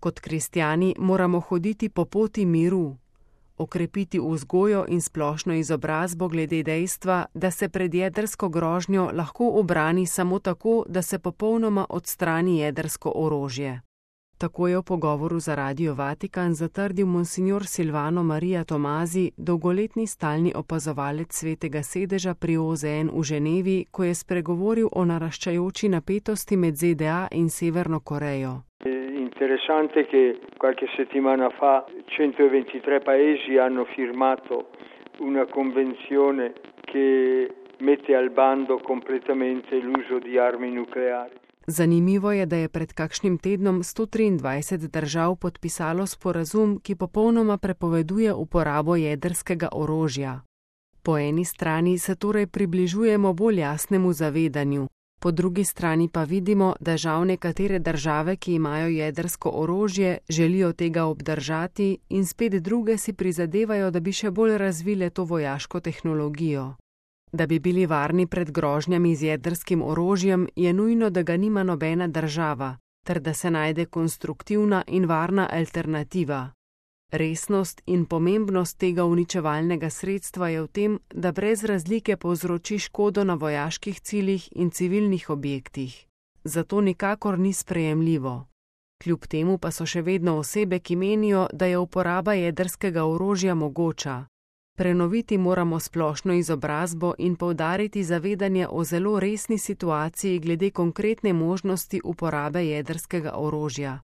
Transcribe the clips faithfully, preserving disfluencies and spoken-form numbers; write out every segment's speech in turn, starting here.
Kot kristjani moramo hoditi po poti miru, okrepiti vzgojo in splošno izobrazbo glede dejstva, da se pred jedrsko grožnjo lahko ubrani samo tako, da se popolnoma odstrani jedrsko orožje. Tako je v pogovoru za Radio Vatikan zatrdil monsignor Silvano Maria Tomazi, dolgoletni stalni opazovalec Svetega sedeža pri O Z N v Ženevi, ko je spregovoril o naraščajoči napetosti med Z D A in Severno Korejo. Interessante che qualche settimana fa centoventitré paesi hanno firmato una convenzione che mette al bando completamente l'uso di armi nucleari. Zanimivo je, da je pred kakšnim tednom sto triindvajset držav podpisalo sporazum, ki popolnoma prepoveduje uporabo jedrskega orožja. Po eni strani se torej približujemo bolj jasnemu zavedanju, po drugi strani pa vidimo, da žal nekatere države, ki imajo jedrsko orožje, želijo tega obdržati in spet druge si prizadevajo, da bi še bolj razvile to vojaško tehnologijo. Da bi bili varni pred grožnjami z jedrskim orožjem, je nujno, da ga nima nobena država, ter da se najde konstruktivna in varna alternativa. Resnost in pomembnost tega uničevalnega sredstva je v tem, da brez razlike povzroči škodo na vojaških ciljih in civilnih objektih. Zato nikakor ni sprejemljivo. Kljub temu pa so še vedno osebe, ki menijo, da je uporaba jedrskega orožja mogoča. Prenoviti moramo splošno izobrazbo in poudariti zavedanje o zelo resni situaciji glede konkretne možnosti uporabe jedrskega orožja.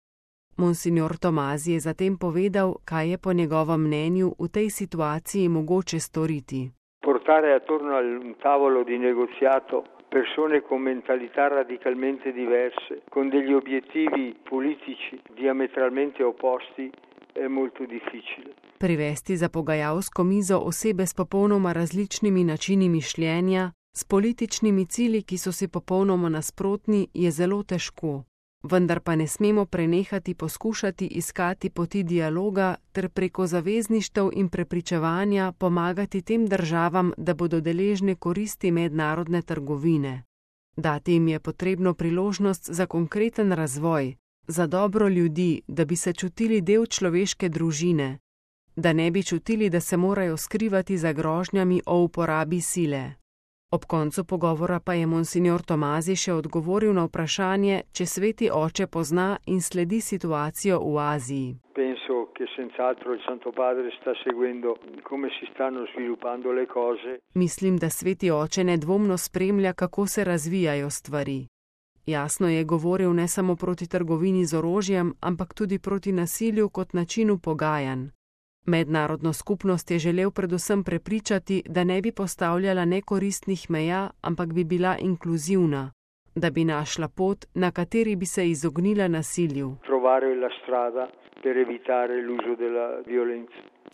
Monsignor Tomazi je zatem povedal, kaj je po njegovem mnenju v tej situaciji mogoče storiti. Portare attorno a un tavolo di negoziato persone con mentalità radicalmente diverse, con degli obiettivi politici diametralmente opposti, è molto difficile. Privesti za pogajalsko mizo osebe s popolnoma različnimi načini mišljenja, s političnimi cilji, ki so si popolnoma nasprotni, je zelo težko. Vendar pa ne smemo prenehati poskušati iskati poti dialoga ter preko zavezništev in prepričevanja pomagati tem državam, da bodo deležne koristi mednarodne trgovine. Dati jim je potrebno priložnost za konkreten razvoj, za dobro ljudi, da bi se čutili del človeške družine, da ne bi čutili, da se morajo skrivati za grožnjami o uporabi sile. Ob koncu pogovora pa je monsignor Tomazi še odgovoril na vprašanje, če Sveti oče pozna in sledi situacijo v Aziji. Penso che senz'altro il Santo Padre sta seguendo come si stanno sviluppando le cose. Mislim, da Sveti oče nedvomno spremlja, kako se razvijajo stvari. Jasno je govoril ne samo proti trgovini z orožjem, ampak tudi proti nasilju kot načinu pogajanj. Mednarodno skupnost je želel predvsem prepričati, da ne bi postavljala nekoristnih meja, ampak bi bila inkluzivna, da bi našla pot, na kateri bi se izognila nasilju. Trovare la strada per evitare l'uso della violenza.